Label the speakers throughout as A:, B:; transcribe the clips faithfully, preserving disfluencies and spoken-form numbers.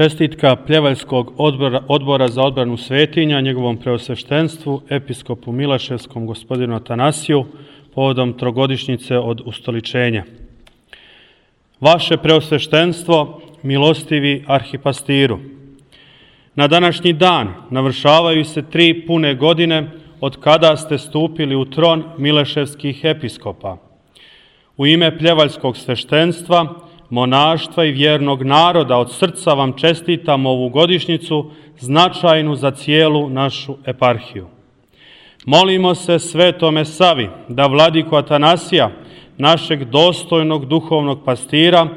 A: Čestitka Pljevaljskog odbora, odbora za odbranu svetinja njegovom preosveštenstvu, episkopu Mileševskom gospodinu Atanasiju, povodom trogodišnjice od ustoličenja. Vaše preosveštenstvo, milostivi arhipastiru, na današnji dan navršavaju se tri pune godine od kada ste stupili u tron mileševskih episkopa. U ime pljevaljskog sveštenstva, monaštva i vjernog naroda od srca vam čestitam ovu godišnjicu značajnu za cijelu našu eparhiju. Molimo se Svetome Savi da vladiku Atanasija, našeg dostojnog duhovnog pastira,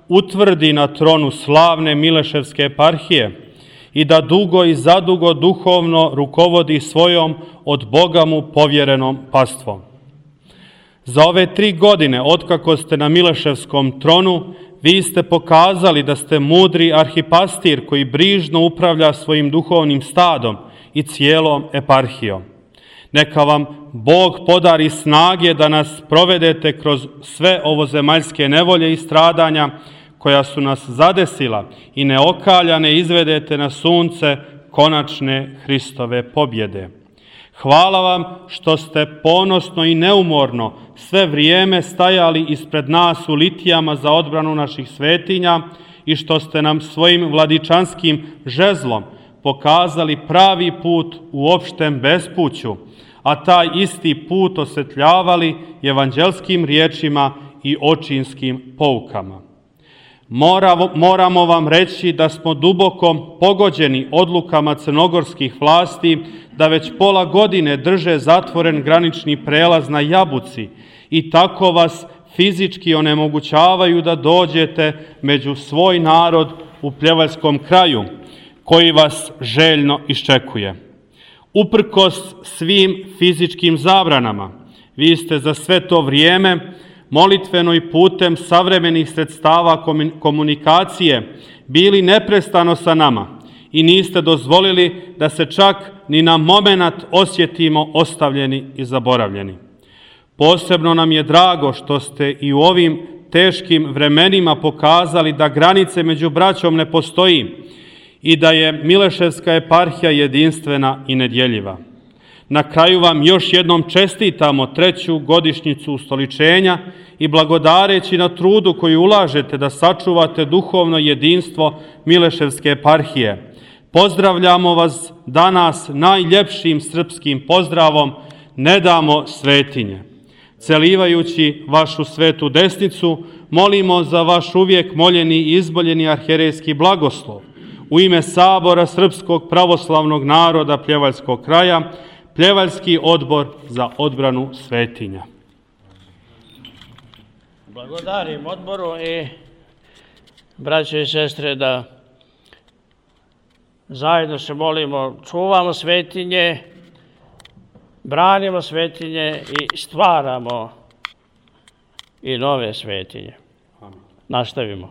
A: utvrdi na tronu slavne Mileševske eparhije i da dugo i zadugo duhovno rukovodi svojom od Boga mu povjerenom pastvom. Za ove tri godine, otkako ste na Mileševskom tronu, vi ste pokazali da ste mudri arhipastir koji brižno upravlja svojim duhovnim stadom i cijelom eparhijom. Neka vam Bog podari snage da nas provedete kroz sve ovozemaljske nevolje i stradanja koja su nas zadesila i neokaljane izvedete na sunce konačne Hristove pobjede. Hvala vam što ste ponosno i neumorno sve vrijeme stajali ispred nas u litijama za odbranu naših svetinja i što ste nam svojim vladičanskim žezlom pokazali pravi put u opštem bespuću, a taj isti put osvetljavali evanđelskim riječima i očinskim poukama. Moramo vam reći da smo duboko pogođeni odlukama crnogorskih vlasti da već pola godine drže zatvoren granični prelaz na Jabuci i tako vas fizički onemogućavaju da dođete među svoj narod u pljevaljskom kraju, koji vas željno iščekuje. Uprkos svim fizičkim zabranama, vi ste za sve to vrijeme molitveno i putem savremenih sredstava komunikacije bili neprestano sa nama i niste dozvolili da se čak ni na momenat osjetimo ostavljeni i zaboravljeni. Posebno nam je drago što ste i u ovim teškim vremenima pokazali da granice među braćom ne postoji i da je Mileševska eparhija jedinstvena i nedjeljiva. Na kraju vam još jednom čestitamo treću godišnjicu ustoličenja i blagodareći na trudu koji ulažete da sačuvate duhovno jedinstvo Mileševske eparhije. Pozdravljamo vas danas najljepšim srpskim pozdravom "Ne damo svetinje". Celivajući vašu svetu desnicu, molimo za vaš uvijek moljeni i izboljeni arhijerejski blagoslov. U ime Sabora Srpskog pravoslavnog naroda Pljevaljskog kraja, Pljevaljski odbor za odbranu svetinja.
B: Blagodarim odboru i braće i sestre da zajedno se molimo, čuvamo svetinje, branimo svetinje i stvaramo i nove svetinje. Nastavimo.